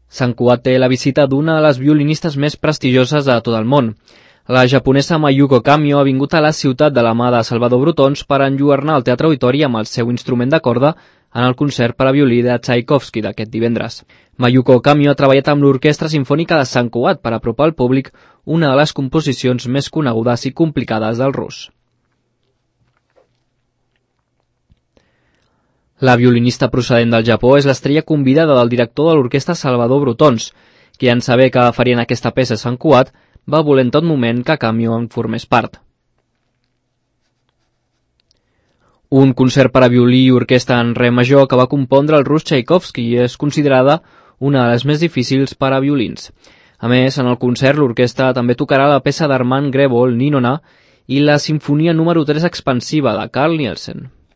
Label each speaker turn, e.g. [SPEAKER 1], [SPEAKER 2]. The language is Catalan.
[SPEAKER 1] Sant Cugat té la visita d'una de les violinistes més prestigioses de tot el món. La japonesa Mayuko Kamio ha vingut a la ciutat de la mà de Salvador Brotons per enlluernar el Teatre Auditori amb el seu instrument de corda en el concert per a violí de Tchaikovsky d'aquest divendres. Mayuko Kamio ha treballat amb l'Orquestra Simfònica de Sant Cugat per apropar al públic una de les composicions més conegudes i complicades del rus. La violinista procedent del Japó és l'estrella convidada del director de l'orquestra Salvador Brotons, qui en saber que farien aquesta peça a Sant Cugat va voler en tot moment que Kamio en formés part. Un concert per a violí i orquestra en re major que va compondre el rus Tchaikovsky i és considerada una de les més difícils per a violins. A més, en el concert l'orquestra també tocarà la peça d'Armand Grebol, Ninona, i la Simfonia número 3 expansiva de Carl Nielsen.